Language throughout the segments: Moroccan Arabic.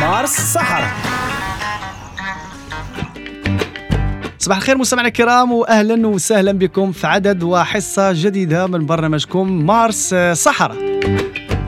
مارس صحراء. صباح الخير مستمعينا الكرام، واهلا وسهلا بكم في عدد وحصه جديدة من برنامجكم مارس صحراء.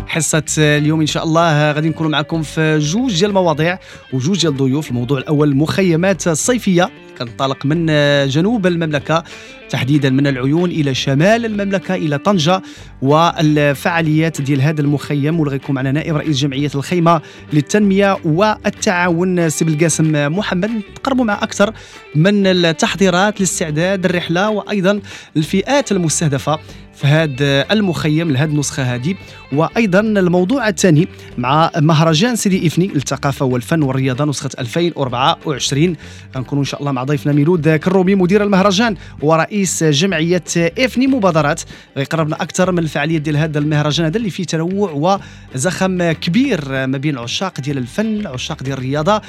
حصة اليوم إن شاء الله غادي نكونوا معكم في جوج ديال المواضيع وجوج ديال الضيوف. الموضوع الأول المخيمات الصيفية، كنطلق من جنوب المملكة تحديدا من العيون إلى شمال المملكة إلى طنجة، والفعاليات ديال هذا المخيم، واللي غيكون معنا نائب رئيس جمعية الخيمة للتنمية والتعاون سي بالقاسم محمد. نتقربوا مع أكثر من التحضيرات لاستعداد الرحلة وأيضا الفئات المستهدفة في هذا المخيم لهذه النسخة هذه. وأيضا الموضوع الثاني مع مهرجان سيدي إفني للثقافة والفن والرياضة نسخة 2024، غنكونوا إن شاء الله مع ضيفنا ميلود كرومي مدير المهرجان ورئيس جمعية إفني مبادرات، غيقربنا أكثر من الفعالية ديال هذا المهرجان هذا اللي فيه تنوع وزخم كبير ما بين عشاق ديال الفن، عشاق ديال الرياضة،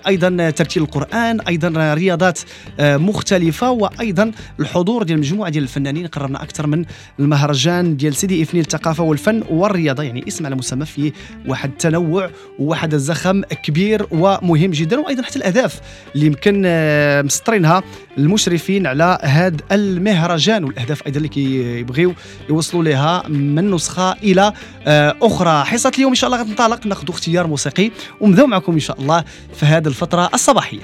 أيضا ترتيل القرآن، أيضا رياضات مختلفة، وأيضا الحضور ديال مجموعة ديال الفنانين. قربنا أكثر من المهرجان ديال سيدي إفني للثقافة والفن والرياضة، يعني اسم على مسمى فيه واحد التنوع وواحد الزخم كبير ومهم جدا، وأيضا حتى الأهداف اللي يمكن مسطرينها المشرفين على هذا المهرجان، والأهداف أيضا اللي كيبغيو يوصلوا لها من نسخة إلى أخرى. حصة اليوم إن شاء الله غتنطلق، ناخذ اختيار موسيقي ونبداو معكم إن شاء الله في هذه الفترة الصباحية.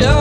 يا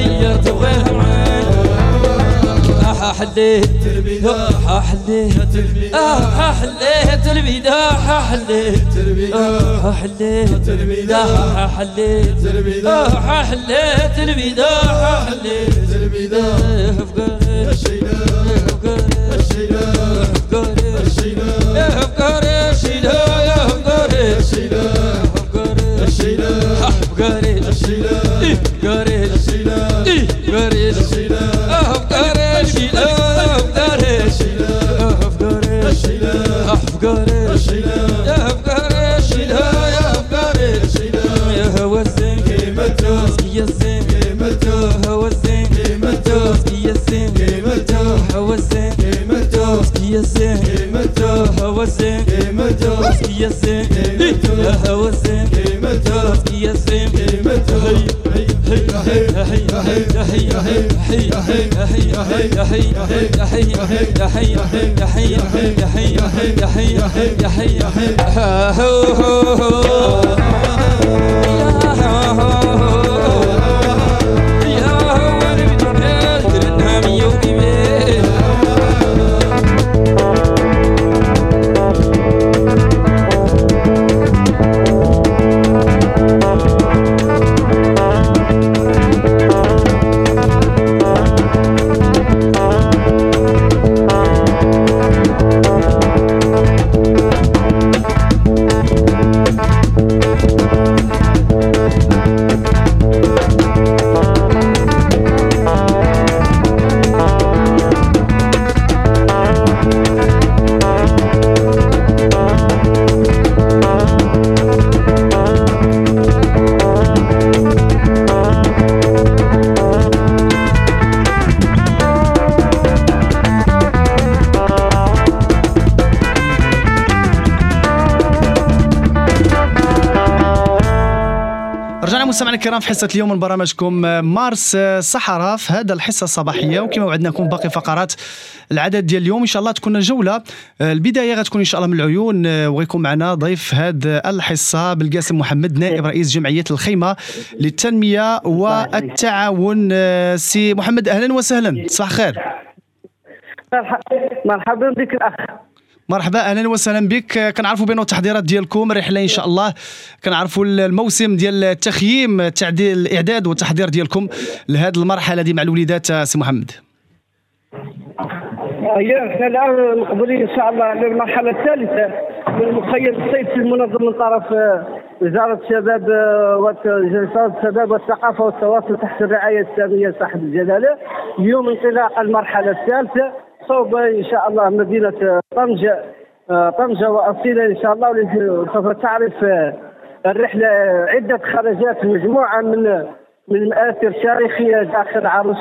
تغير تبغيها معاي حليت تربيده حليت تربيده حليت تربيده حليت تربيده حليت تربيده حليت تربيده حليت تربيده حليت تربيده مستمعينا الكرام في حصة اليوم من برنامجكم مارس صحراء في هذا الحصة الصباحية، وكما وعدناكم باقي فقرات العدد ديال اليوم ان شاء الله تكون جولة. البداية غتكون ان شاء الله من العيون، وغيكون معنا ضيف هذا الحصة بالقاسم محمد نائب رئيس جمعية الخيمة للتنمية والتعاون. سي محمد اهلا وسهلا، صباح الخير. مرحبا بك الاخ. مرحبا اهلا وسهلا بك. كنعرفوا بان التحضيرات ديالكم رحله ان شاء الله، كنعرفوا الموسم ديال التخييم، تعديل الاعداد والتحضير ديالكم لهذه المرحلة دي مع الوليدات. سي محمد، احنا الان مقبلين ان شاء الله على المرحلة الثالثة من المخيم الصيفي المنظم من طرف وزارة الشباب والشباب والثقافة والتواصل تحت الرعاية السامية صاحب الجلاله. اليوم انطلاق المرحلة الثالثة صوب ان شاء الله مدينة طنجه، طنجه واصيله ان شاء الله، سوف تعرف الرحلة عده خرجات، مجموعة من المآثر التاريخية داخل عروس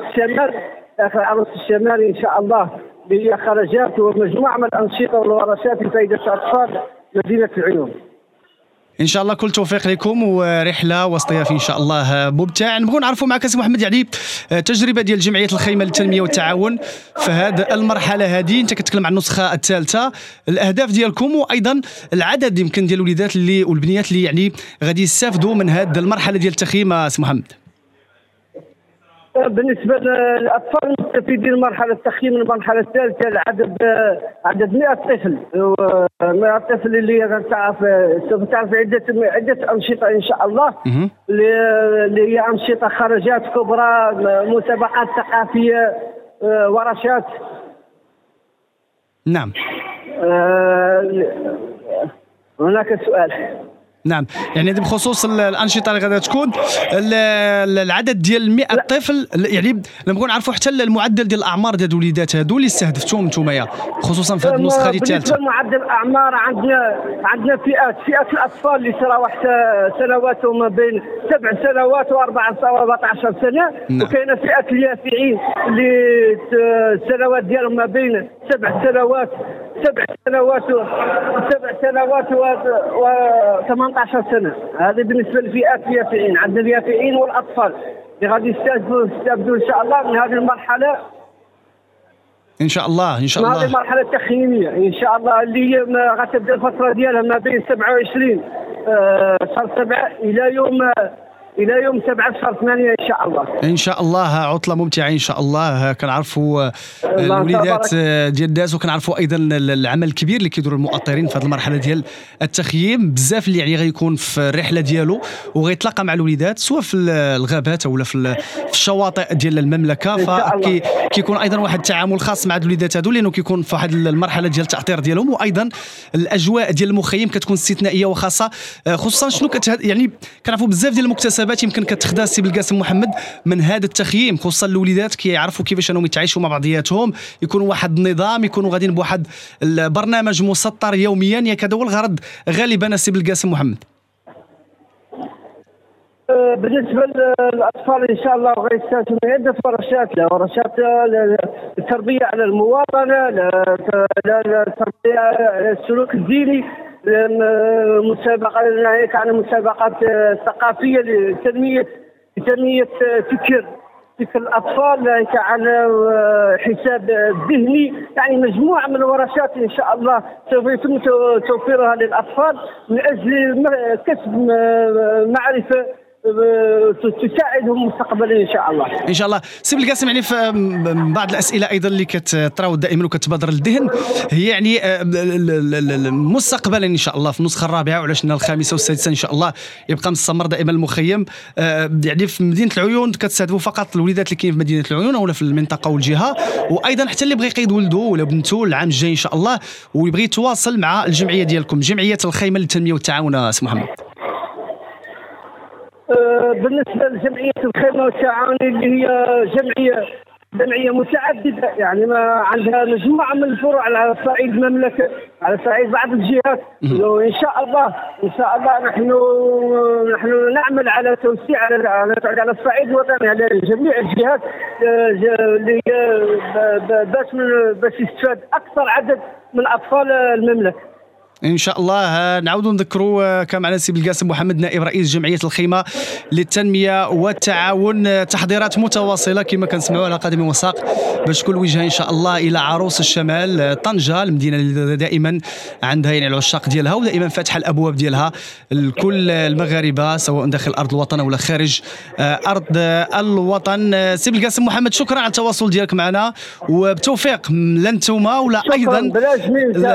الشمال، داخل عروس الشمال ان شاء الله، هي خرجات ومجموعة من الانشطة والورشات لفائدة اطفال مدينة العيون. ان شاء الله كل توفيق لكم ورحله واصطياف ان شاء الله ممتع. نبغوا نعرفوا معك سي محمد يعني تجربه ديال جمعية الخيمة للتنمية والتعاون في هذه المرحلة هذه، انت كتكلم عن النسخة الثالثة، الاهداف ديالكم وايضا العدد يمكن ديال الوليدات اللي والبنيات اللي يعني غادي يستافدوا من هذه المرحلة ديال التخييم. سي محمد، بالنسبة للاطفال المستفيدين من مرحلة التخييم المرحلة الثالثة، العدد عدد 100 طفل، 100 طفل اللي سوف تعرف عده انشطة ان شاء الله، اللي هي انشطة خرجات كبرى، مسابقات ثقافية، ورشات. نعم. هناك سؤال. نعم، يعني بخصوص الانشطة اللي غادي تكون، العدد ديال 100 طفل، يعني نبغوا نعرفوا حتى المعدل ديال الاعمار ديال الوليدات هادو اللي استهدفتوهم نتوما خصوصا في هذه النسخة الثالثة. بالنسبة لمعدل الاعمار عندنا فئات الاطفال اللي تراوح سنواتهم ما بين 7 سنوات و14 سنة. نعم. وكاينه فئة اليافعين اللي السنوات ديالهم ما بين 7 سنوات و18 سنة. هذه بالنسبة للفئات اليافعين. عندنا اليافعين والاطفال اللي غادي يستافدوا ان شاء الله من هذه المرحلة ان شاء الله. ان شاء الله هذه المرحلة التخييميه ان شاء الله اللي هي غتبدا الفترة ديالها ما بين 27 شهر 7 الى يوم الى يوم 7/8 ان شاء الله. ان شاء الله عطله ممتعة ان شاء الله. كنعرفوا الوليدات ديال الناس، وكنعرفوا ايضا العمل الكبير اللي كيديروا المؤطرين في هذه المرحلة ديال التخييم، بزاف اللي يعني غيكون في الرحلة ديالو وغيتلاقى مع الوليدات سواء في الغابات ولا في الشواطئ ديال المملكة، فكيكون ايضا واحد التعامل خاص مع الوليدات هذو لانه كيكون في واحد المرحلة ديال التاطير ديالهم، وايضا الاجواء ديال المخيم كتكون استثنائية وخاصة، خصوصا شنو يعني كنعرفوا بزاف ديال المكتسبات يمكن كتخدا السي بالقاسم محمد من هذا التخييم، خصوصا الوليدات كيعرفوا كيفاش انهم يتعايشوا مع بعضياتهم، يكونوا واحد النظام، يكونوا غاديين بواحد البرنامج مسطر يوميا، ياك هذا هو الغرض غالبا السي بالقاسم محمد. بالنسبة للاطفال ان شاء الله غيستافدوا من عده ورشات، لا ورشات التربية على المواطنة، لا التربية على السلوك الديني، مسابقة عن مسابقات ثقافية لتنميه فكر الاطفال، عن حساب ذهني، يعني مجموعة من الورشات ان شاء الله سوف يتم توفيرها للاطفال من اجل كسب معرفة تساعدهم مستقبلا ان شاء الله. ان شاء الله. سي بالقاسم، يعني في بعض الاسئلة ايضا اللي كتراود دائما وكتبادر للذهن هي يعني مستقبلا ان شاء الله في النسخة الرابعة وعلاش الخامسة والسادسه ان شاء الله يبقى مستمر دائما المخيم، يعني في مدينة العيون كتستهدفوا فقط الوليدات اللي كاين في مدينة العيون ولا في المنطقة والجهة، وايضا حتى اللي بغى يقيد ولده ولا بنته العام الجاي ان شاء الله ويبغي يتواصل مع الجمعية ديالكم، جمعية الخيمة للتنمية والتعاون. سي محمد. بالنسبة لجمعية الخيمة والتعاون اللي هي جمعية متعددة، يعني ما عندها مجموعة من الفروع على صعيد المملكة، على صعيد بعض الجهات، وان شاء الله نحن نعمل على توسيع على الصعيد الوطني على جميع الجهات اللي باش يستفاد اكثر عدد من اطفال المملكة. ان شاء الله. نعاودوا نذكروا كان معنا السي بالقاسم محمد نائب رئيس جمعية الخيمة للتنمية والتعاون، تحضيرات متواصلة كما كنسمعوا على قدم وساق باش كل وجهه ان شاء الله الى عروس الشمال طنجه، المدينة اللي دائما عندها يعني العشاق ديالها ودائما فاتحة الابواب ديالها لكل المغاربة سواء داخل ارض الوطن ولا خارج ارض الوطن. سي بالقاسم محمد، شكرا على التواصل ديالك معنا وبتوفيق لا انتوما ولا ايضا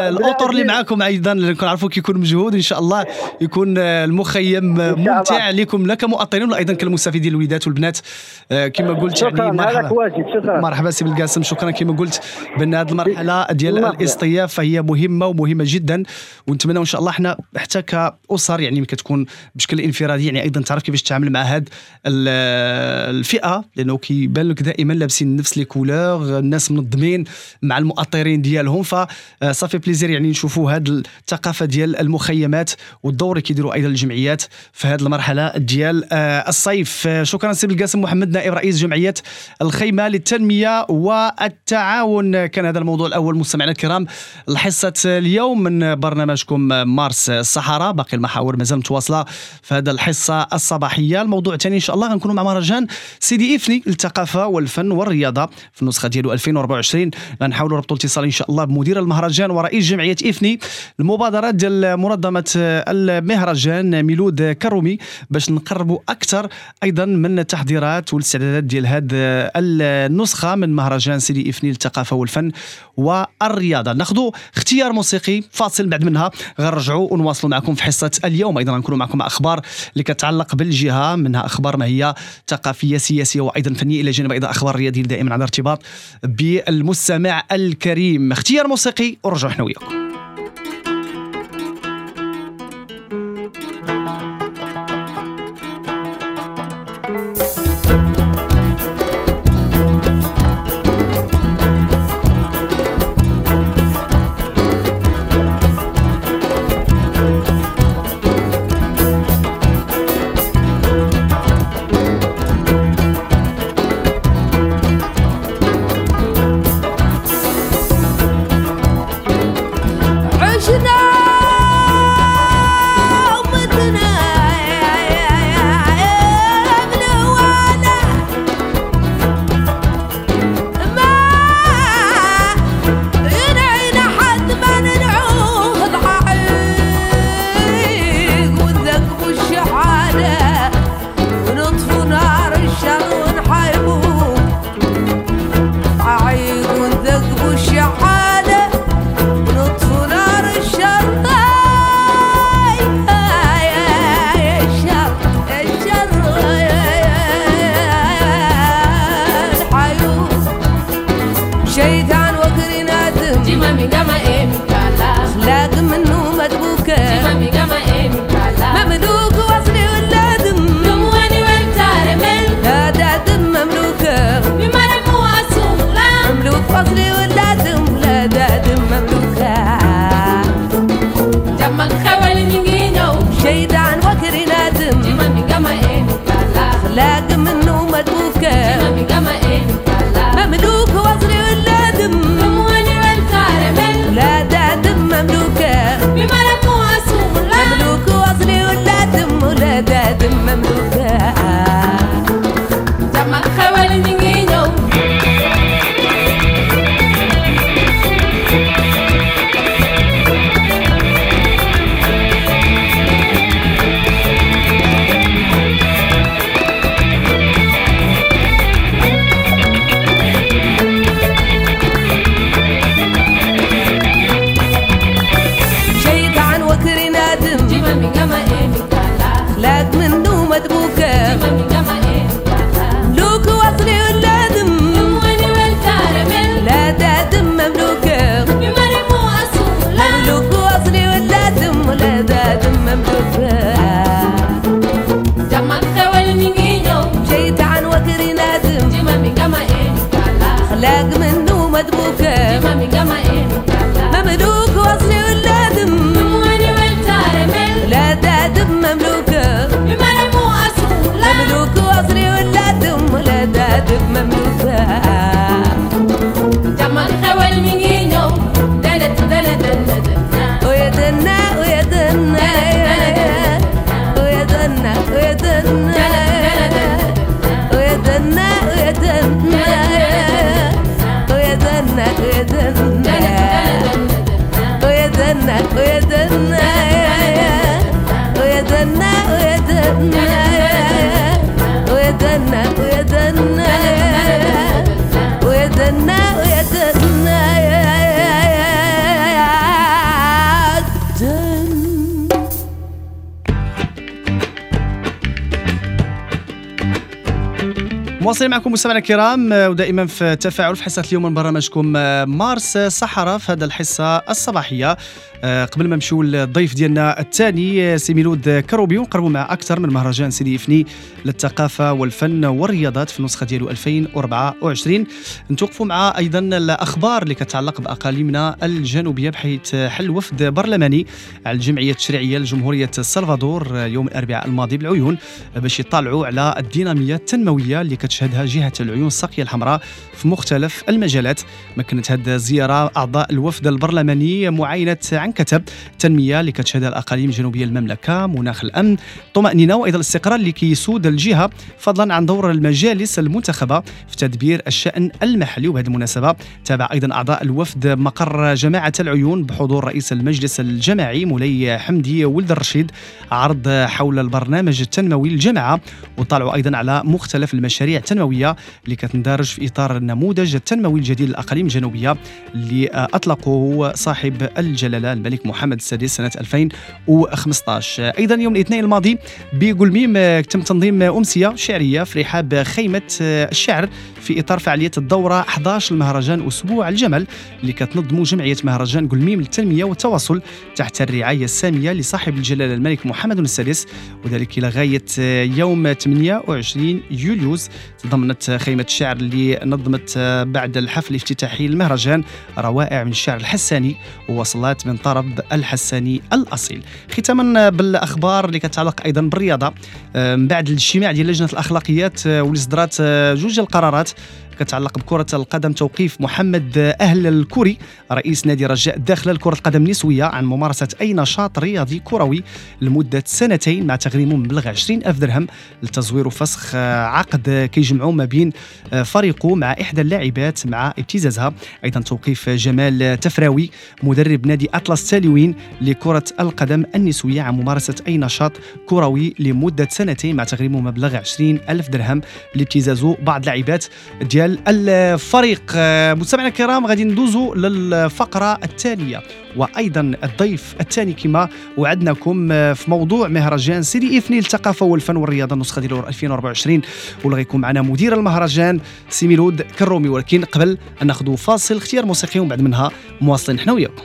الاطر اللي معاكم، ايضا كنعرفوا كيكون مجهود، ان شاء الله يكون المخيم ممتع لكم لا كمؤطرين ولا ايضا كالمستفيدين الوليدات والبنات كما قلت. يعني مرحبا مرحبا سي بالقاسم، شكرا. كما قلت بان هذه المرحلة ديال الاصطياف فهي مهمة ومهمة جدا، ونتمنى ان شاء الله حنا حتى كاسر يعني كتكون بشكل انفرادي يعني ايضا تعرف كيفاش تتعامل مع هذه الفئة، لانه كيبان لك دائما لابسين نفس les couleurs، الناس منظمين مع المؤطرين ديالهم، ف ça fait plaisir يعني نشوفوا هذا الثقافة ديال المخيمات والدور اللي كيديروا ايضا الجمعيات في هذه المرحلة ديال الصيف. شكرا سي بالقاسم محمد نائب رئيس جمعية الخيمة للتنمية والتعاون. كان هذا الموضوع الاول مستمعينا الكرام الحصة اليوم من برنامجكم مارس الصحراء. باقي المحاور مازال متواصلة في هذا الحصة الصباحية. الموضوع الثاني ان شاء الله غنكونوا مع مهرجان سيدي إفني للثقافة والفن والرياضة في النسخة ديالو 2024. غنحاولوا نربطوا الاتصال ان شاء الله بمدير المهرجان ورئيس جمعية إفني، المبادرات ديال منظمة المهرجان ميلود كرومي، باش نقربوا اكثر ايضا من التحضيرات والاستعدادات ديال هذه النسخة من مهرجان سيدي إفني للثقافة والفن والرياضة. ناخذوا اختيار موسيقي فاصل، بعد منها غنرجعوا ونواصلوا معكم في حصة اليوم. ايضا غنكونوا معكم اخبار اللي كتعلق بالجهة، منها اخبار ما هي ثقافية سياسية وايضا فنية، الى جانب ايضا اخبار رياضية دائما على ارتباط بالمستمع الكريم. اختيار موسيقي ورجعوا حنا وياكم. خلاق منه مدبوكة مملوك وصلي ولادم لا دادم مملوكة مملوك وصلي ولادم ولا دادم مملوكة. خلاق منه مدبوكة مملوك وصلي ولادم لا دادم مملوكة مملوك وصلي ولادم ولا دادم مملوكة. جيت عن وكري نادم خلاق منه مدبوكة مملوك وصلي ولادم لا دادم مملوكة مملوك وصلي ولادم ولا دادم مملوكة. ويا دنا ويا دنا ويا دنا ويا دنا ويا دنا ويا دنا ويا دنا ويا دنا ويا دنا ويا دنا ويا دنا ويا دنا ويا دنا ويا دنا ويا دنا ويا دنا. مواصلين معكم مستمعينا الكرام ودائما في تفاعل في حصة اليوم من برنامجكم مارس صحراء في هذا الحصة الصباحية. قبل ما نمشيو للضيف ديالنا الثاني سي ميلود كروبي ونقربوا مع اكثر من مهرجان سيدي إفني للثقافة والفن والرياضات في النسخة ديالو 2024، نتوقفوا مع ايضا الاخبار اللي كتعلق باقاليمنا الجنوبية، بحيث حل وفد برلماني على الجمعية التشريعية لجمهوريه السلفادور يوم الاربعاء الماضي بالعيون باش يطالعوا على الديناميه التنموية اللي كتشهدها جهة العيون الساقيه الحمراء في مختلف المجالات. مكنت هذه الزيارة اعضاء الوفد البرلماني معاينة عن كتب التنمية اللي كتشهدها الاقاليم الجنوبية للمملكة، مناخ الامن، طمانينة وايضا الاستقرار اللي كيسود الجهة، فضلا عن دور المجالس المنتخبه في تدبير الشان المحلي. وبهذه المناسبة تابع ايضا اعضاء الوفد مقر جماعة العيون بحضور رئيس المجلس الجماعي مولاي حمدي ولد الرشيد عرض حول البرنامج التنموي للجماعة، وطلعوا ايضا على مختلف المشاريع التنموية اللي كتندرج في اطار النموذج التنموي الجديد للاقاليم الجنوبية اللي اطلقه صاحب الجلاله الملك محمد السادس سنة 2015. ايضا يوم الاثنين الماضي بقلميم تم تنظيم امسية شعرية في رحاب خيمة الشعر في اطار فعالية الدورة 11 المهرجان اسبوع الجمل اللي كتنظمه جمعية مهرجان قلميم للتنمية والتواصل تحت الرعاية السامية لصاحب الجلاله الملك محمد السادس، وذلك الى غاية يوم 28 يوليوز. تضمنت خيمة الشعر اللي نظمت بعد الحفل الافتتاحي للمهرجان روائع من الشعر الحساني ووصلات من طرب الحساني الأصيل. ختاما بالأخبار اللي كتعلق أيضا بالرياضة، من بعد الاجتماع ديال لجنة الأخلاقيات واللي صدرات جوج القرارات كتعلق بكرة القدم، توقيف محمد أهل الكوري رئيس نادي رجاء الداخلة لكرة القدم النسوية عن ممارسة أي نشاط رياضي كروي لمدة سنتين مع تغريمه مبلغ 20,000 درهم لتزوير وفسخ عقد كيجمعوا ما بين فريقه مع إحدى اللاعبات مع ابتزازها. أيضا توقيف جمال تفراوي مدرب نادي أطلس تالوين لكرة القدم النسوية عن ممارسة أي نشاط كروي لمدة سنتين مع تغريمه مبلغ 20,000 درهم لابتزازه بعض اللاعبات ديال الفريق. مستمعينا الكرام غادي ندوزو للفقرة الثانية وأيضا الضيف الثاني كما وعدناكم في موضوع مهرجان سيدي إفني للثقافة والفن والرياضة النسخة ديال 2024، واللي غيكون معنا مدير المهرجان سي ميلود كرومي. ولكن قبل أن ناخذ فاصل اختيار موسيقي ومن بعد منها مواصلين حنا وياكم.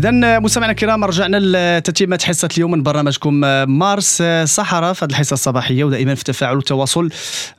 اذا مستمعينا الكرام، رجعنا لتتمه حصة اليوم من برنامجكم مارس صحراء في هذه الحصة الصباحيه، ودائما في تفاعل وتواصل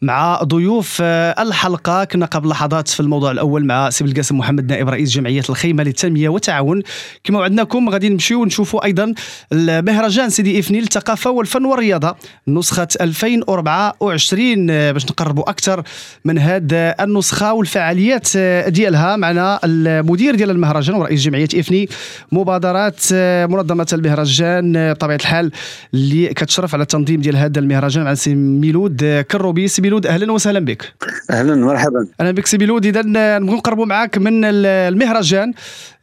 مع ضيوف الحلقه. كنا قبل لحظات في الموضوع الاول مع سي القاسم محمد، نائب رئيس جمعية الخيمة للتنمية والتعاون. كما وعدناكم غادي نمشيو ونشوفوا ايضا المهرجان سيدي افني للثقافة والفن والرياضة نسخه 2024 باش نقربوا اكثر من هذه النسخة والفعاليات ديالها. معنا المدير ديال المهرجان ورئيس جمعية افني مبادرات منظمة المهرجان بطبيعة الحال اللي كتشرف على التنظيم ديال هذا المهرجان، مع سي ميلود كروبي. سي ميلود، اهلا وسهلا بك. اهلا، مرحبا. اهلا بك سي ميلود. اذا نبغيو نقربوا معاك من المهرجان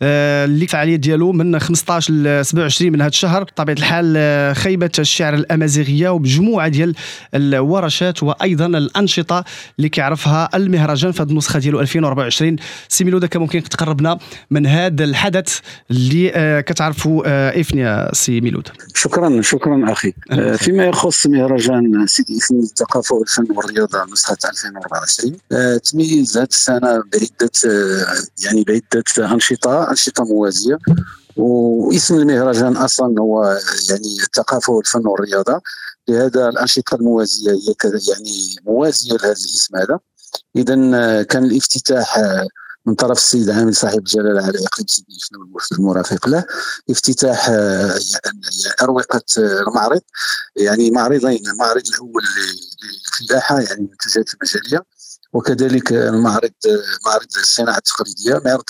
اللي الفعالية ديالو من 15 ل 27 من هذا الشهر، بطبيعة الحال خيبه الشعر الامازيغية ومجموعة ديال الورشات وايضا الانشطة اللي كيعرفها المهرجان في هذه النسخة ديالو 2024. سي ميلود، كان ممكن تقربنا من هذا الحدث اللي كتعرفوا افني سي ميلود؟ شكرا شكرا اخي. فيما يخص مهرجان سيدي افني للثقافة والفن والرياضة نسخه 2024، تميز هذه السنة بعده يعني بعده انشطه موازيه. واسم المهرجان اصلا هو يعني الثقافة والفن والرياضه، لهذا الانشطة الموازيه هي يعني موازية لهذا الاسم هذا. اذا كان الافتتاح من طرف السيد عامل صاحب الجلاله على اقليم سيدي افني والوفد المرافق له، افتتاح يعني اروقة المعرض، يعني معرضين: المعرض الاول للفلاحه يعني المنتجات المجاليه، وكذلك المعرض معرض الصناعة التقليديه. معرض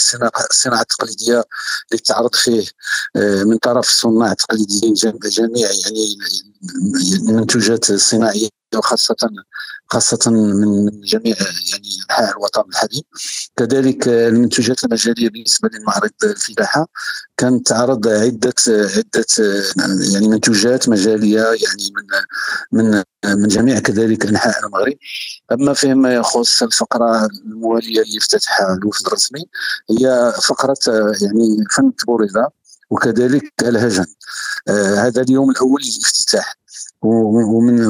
الصناعة التقليدية اللي تعرض فيه من طرف الصناع التقليديين جميع يعني المنتوجات الصناعيه، وخاصة من جميع يعني أنحاء الوطن الحبيب. كذلك المنتوجات المجالية بالنسبة للمعرض الفلاحة كانت تعرض عدة يعني منتوجات مجالية يعني من من جميع كذلك أنحاء المغرب. أما فيما يخص الفقرة الموالية اللي افتتحها الوفد الرسمي هي فقرة يعني فن التبوريدة وكذلك الهجن. هذا اليوم الأول للافتتاح، ومن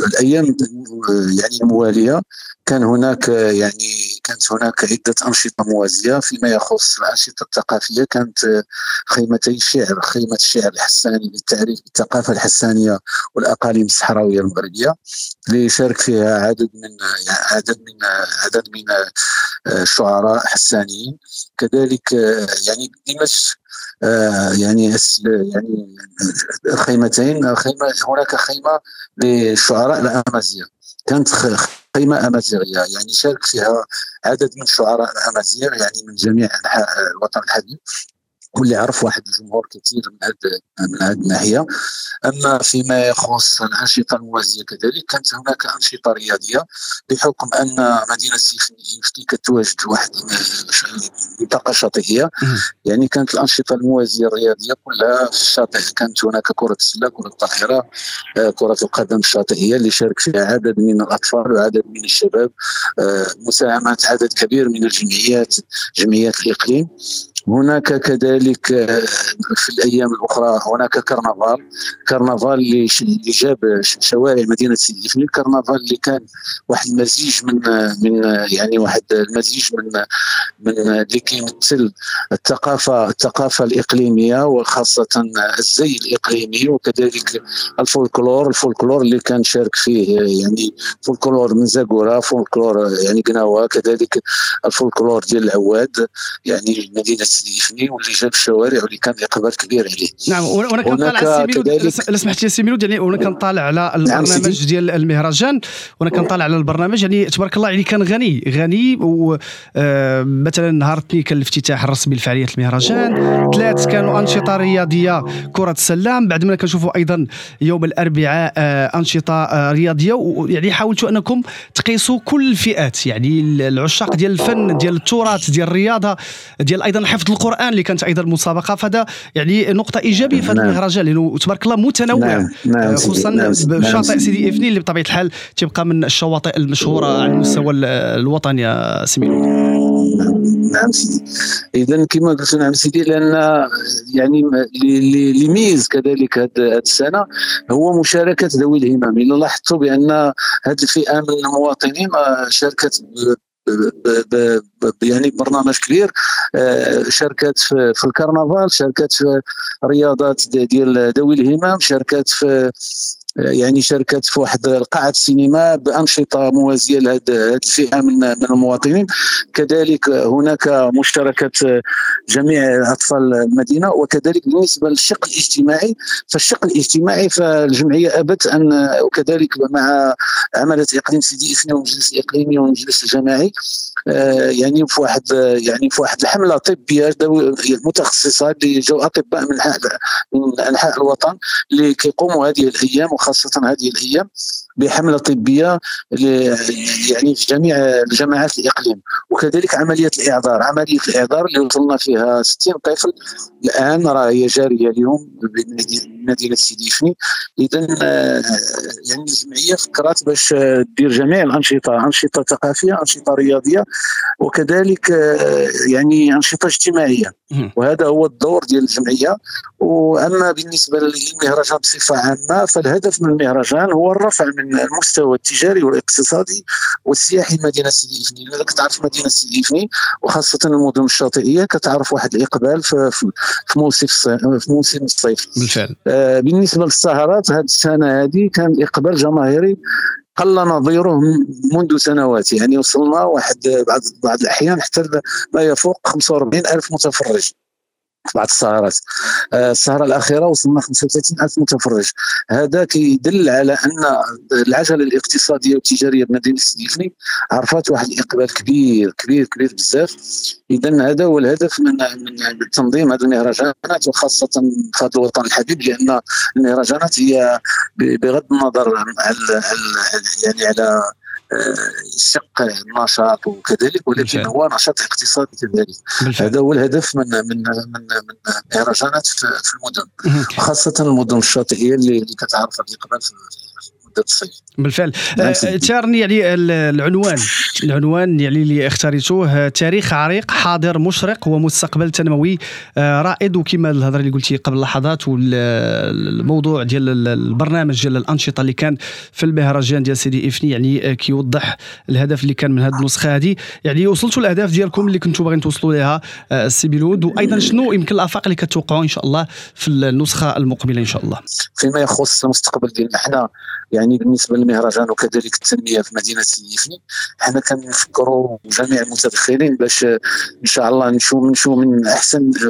الايام يعني الموالية كان هناك يعني كانت هناك عده انشطة موازية. فيما يخص الانشطة الثقافية كانت خيمتي الشعر، خيمة الشعر الحساني للتعريف بالثقافة الحسانيه والاقاليم الصحراوية المغربية اللي شارك فيها عدد من الشعراء حسانيين. كذلك يعني دمج يعني الخيمتين، هناك خيمة للشعراء الامازيغ، كانت خيمة امازيغيه يعني شارك فيها عدد من الشعراء الامازيغ يعني من جميع انحاء الوطن الحبيب، واللي عرف واحد الجمهور كثير من هذه الناحية. اما فيما يخص الانشطة الموازيه كذلك كانت هناك انشطة رياضية، بحكم ان مدينة سيدي افني كتواجد واحد منطقة شاطئيه، يعني كانت الانشطة الموازيه الرياضية كلها في الشاطئ. كانت هناك كره السلة، كره الطائره، كره القدم الشاطئيه اللي شارك فيها عدد من الاطفال وعدد من الشباب، مساهمات عدد كبير من الجمعيات، جمعيات الاقليم. هناك كذلك في الأيام الأخرى هناك كرنفال اللي جاب شوارع مدينة سيدي إفني. الكرنفال اللي كان واحد المزيج من يعني واحد المزيج من اللي كيمثل الثقافة الإقليمية وخاصة الزي الإقليمي، وكذلك الفولكلور اللي كان شارك فيه يعني فولكلور من زاكورة، فولكلور يعني قناوة، كذلك الفولكلور ديال العواد يعني مدينة سيدي إفني، واللي جاب الشوارع واللي كان اقبال كبير عليه. نعم، وانا كنطالع على سي ميلود، لا سمحت لي سي ميلود، يعني وانا كنطالع على البرنامج ديال المهرجان، وانا كنطالع على البرنامج يعني تبارك الله يعني كان غني. ومثلا نهار الاثنين كان الافتتاح الرسمي لفعاليه المهرجان، ثلاث كانوا انشطة رياضية كره السلة، بعد ما كنشوفوا ايضا يوم الاربعاء انشطة رياضية. ويعني حاولتوا انكم تقيسوا كل الفئات، يعني العشاق ديال الفن، ديال التراث، ديال الرياضة، ديال ايضا حفظ القرآن اللي كانت أيضا مسابقة. فهذا يعني نقطة إيجابية في هذا المهرجان لأنه تبارك الله متنوع. نعم. خصوصا بشاطئ سيدي إفني اللي بطبيعة الحال تبقى من الشواطئ المشهورة على المستوى الوطني يا سي ميلود. نعم سيدي، إذا كما قلت نعم سيدي، لأن يعني اللي ميز كذلك هذه السنة هو مشاركة ذوي الهمم. إلا لاحظتوا بأن هذه الفئة من المواطنين شاركت يعني برنامج كبير. شاركت في الكرنفال، شاركت في رياضات ديال ذوي الهمم، شاركت في يعني شاركت في واحد قاعة السينما بأنشطة موازية لهذه الفئة من المواطنين. كذلك هناك مشاركة جميع أطفال المدينة. وكذلك بالنسبة للشق الاجتماعي، فالشق الاجتماعي فالجمعية أبت أن، وكذلك مع عملة إقليم سيدي إفني والمجلس الإقليمي والمجلس الجماعي، يعني في واحد الحملة طبية متخصصة اللي جو أطباء من أنحاء الوطن اللي كيقوموا هذه الأيام وخاصة هذه الأيام بحملة طبية يعني في جميع الجماعات الإقليم. وكذلك عملية الإعذار اللي وصلنا فيها 60 طفل الآن راه هي جارية اليوم بمدينة سيدي إفني. إذن يعني الجمعية فكرت باش دير جميع الأنشطة، أنشطة ثقافية، أنشطة رياضية، وكذلك يعني أنشطة اجتماعية، وهذا هو الدور ديال الجمعية. وأما بالنسبة للمهرجان بصفة عامة، فالهدف من المهرجان هو الرفع من المستوى التجاري والاقتصادي والسياحي لمدينة سيدي إفني. لأنك تعرف مدينة سيدي إفني وخاصة المدن الشاطئية كتعرف واحد الإقبال في موسم الصيف. بالفعل. بالنسبة للسهرات، هذه السنة هذه كان إقبال جماهيري قل نظيره منذ سنوات، يعني وصلنا واحد بعض الأحيان حتى ما يفوق 45,000 متفرج في بعض السهرات. السهرة الأخيرة وصلنا 35,000 متفرج. هذا كيدل على أن العجلة الاقتصادية والتجارية بمدينة سيدي إفني عرفت واحد الإقبال كبير كبير كبير بزاف. إذن هذا هو الهدف من تنظيم هذه المهرجانات، وخاصة في هذا الوطن الحبيب، لأن المهرجانات هي بغض النظر يعني على شق النشاط وكذلك، ولكن هو نشاط اقتصادي كذلك. هذا هو الهدف من من من مهرجانات في المدن، وخاصة المدن الشاطئية اللي كتعرف الإقبال في الصيف. بالفعل. تارني يعني العنوان يعني اللي اختاريتوه، تاريخ عريق، حاضر مشرق، ومستقبل تنموي رائد. وكما الهضرة اللي قلتي قبل لحظات، والموضوع ديال البرنامج ديال الانشطة اللي كان في المهرجان ديال سيدي إفني يعني كيوضح الهدف اللي كان من هذه النسخة هذه. يعني وصلتوا الاهداف ديالكم اللي كنتوا باغيين توصلوا لها السي ميلود، وايضا شنو يمكن الافاق اللي كتوقعوا ان شاء الله في النسخة المقبلة ان شاء الله؟ فيما يخص المستقبل ديالنا حنا، يعني بالنسبة للمهرجان وكذلك التنمية في مدينة سيدي إفني، حنا كنفكروا جميع المتدخلين باش ان شاء الله نمشوا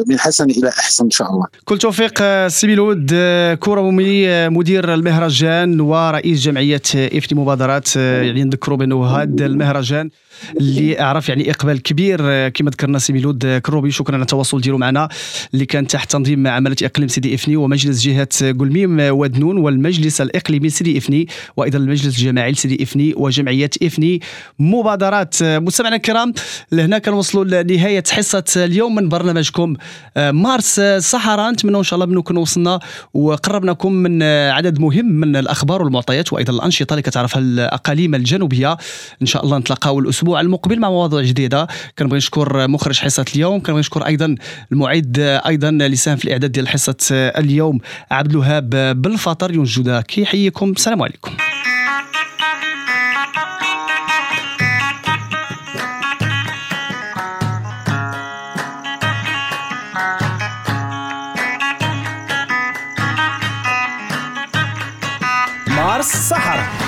من حسن الى احسن ان شاء الله. كل توفيق سي ميلود كرومي، مدير المهرجان ورئيس جمعية إفني مبادرات. يعني نذكروا بانه هذا المهرجان اللي عرف يعني اقبال كبير كما ذكرنا سي ميلود كروبي، شكرا على التواصل ديالو معنا، اللي كان تحت تنظيم عماله اقليم سيدي إفني ومجلس جهة قلميم ودنون والمجلس الاقليمي سيدي إفني، وايضا المجلس الجماعي لسيدي إفني وجمعية إفني مبادرات. مستمعينا الكرام، لهنا كنوصلوا لنهاية حصة اليوم من برنامجكم مارس صحراء. نتمنى ان شاء الله بأنكم وصلنا وقربناكم من عدد مهم من الاخبار والمعطيات وايضا الانشطة اللي كتعرفها الاقاليم الجنوبية. ان شاء الله نتلاقاو الاسبوع المقبل مع مواضيع جديدة. كنبغي نشكر مخرج حصة اليوم، كنبغي نشكر ايضا المعد ايضا اللي ساهم في الاعداد ديال حصة اليوم عبد الوهاب بالفطر. يونس جوده كيحييكم، السلام عليكم. مارس صحراء.